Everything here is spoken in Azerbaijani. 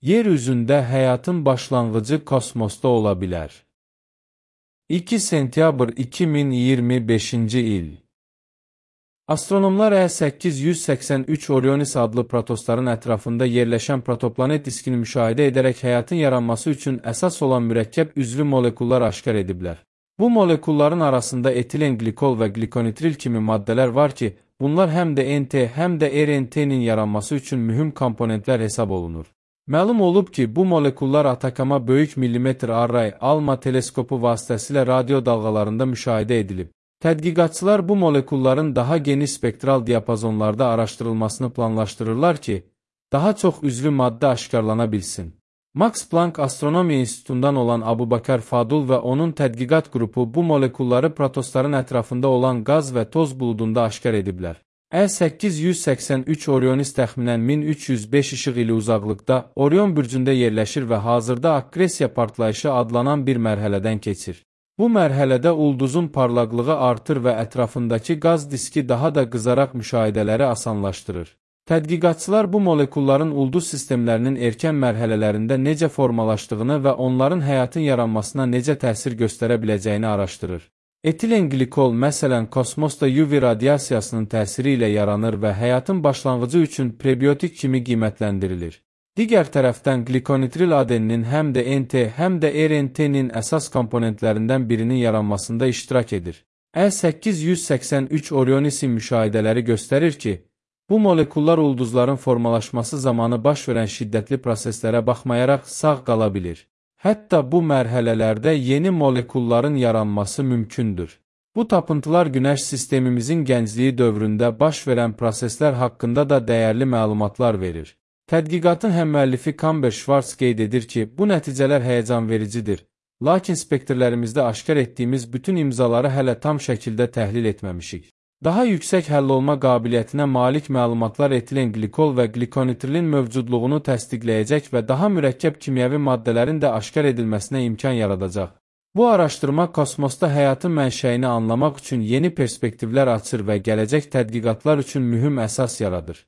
Yer üzündə həyatın başlanğıcı kosmosda ola bilər. 2 sentyabr 2025-ci il. Astronomlar E883 Orionis adlı protostların ətrafında yerləşən protoplanet diskini müşahidə edərək həyatın yaranması üçün əsas olan mürəkkəb üzvü molekullar aşkar ediblər. Bu molekulların arasında etilen glikol və glikonitril kimi maddələr var ki, bunlar həm də NT, həm də RNT-nin yaranması üçün mühüm komponentlər hesab olunur. Məlum olub ki, bu molekullar Atakama Böyük Millimetr Array ALMA teleskopu vasitəsilə radio dalğalarında müşahidə edilib. Tədqiqatçılar bu molekulların daha geniş spektral diapazonlarda araşdırılmasını planlaşdırırlar ki, daha çox üzvü maddə aşkarlana bilsin. Max Planck Astronomiya İnstitutundan olan Abubakar Fadul və onun tədqiqat qrupu bu molekulları protostların ətrafında olan qaz və toz buludunda aşkar ediblər. E883 Orionis təxminən 1305 işıq ili uzaqlıqda Orion bürcündə yerləşir və hazırda akkresiya partlayışı adlanan bir mərhələdən keçir. Bu mərhələdə ulduzun parlaqlığı artır və ətrafındakı qaz diski daha da qızaraq müşahidələri asanlaşdırır. Tədqiqatçılar bu molekulların ulduz sistemlərinin erkən mərhələlərində necə formalaşdığını və onların həyatın yaranmasına necə təsir göstərə biləcəyini araşdırır. Etilen glikol, məsələn, kosmosda UV radiasiyasının təsiri ilə yaranır və həyatın başlanğıcı üçün prebiotik kimi qiymətləndirilir. Digər tərəfdən glikonitril adeninin həm də NT, həm də RNT-nin əsas komponentlərindən birinin yaranmasında iştirak edir. E883 Orionisi müşahidələri göstərir ki, bu molekullar ulduzların formalaşması zamanı baş verən şiddətli proseslərə baxmayaraq sağ qala bilir. Hətta bu mərhələlərdə yeni molekulların yaranması mümkündür. Bu tapıntılar Günəş sistemimizin gəncliyi dövründə baş verən proseslər haqqında da dəyərli məlumatlar verir. Tədqiqatın həmmüəllifi Kamber Schwartz qeyd edir ki, bu nəticələr həyəcanvericidir, lakin spektrlərimizdə aşkar etdiyimiz bütün imzaları hələ tam şəkildə təhlil etməmişik. Daha yüksək həll olma qabiliyyətinə malik məlumatlar etilen glikol və glikonitrilin mövcudluğunu təsdiqləyəcək və daha mürəkkəb kimyəvi maddələrin də aşkar edilməsinə imkan yaradacaq. Bu araşdırma kosmosda həyatın mənşəyini anlamaq üçün yeni perspektivlər açır və gələcək tədqiqatlar üçün mühüm əsas yaradır.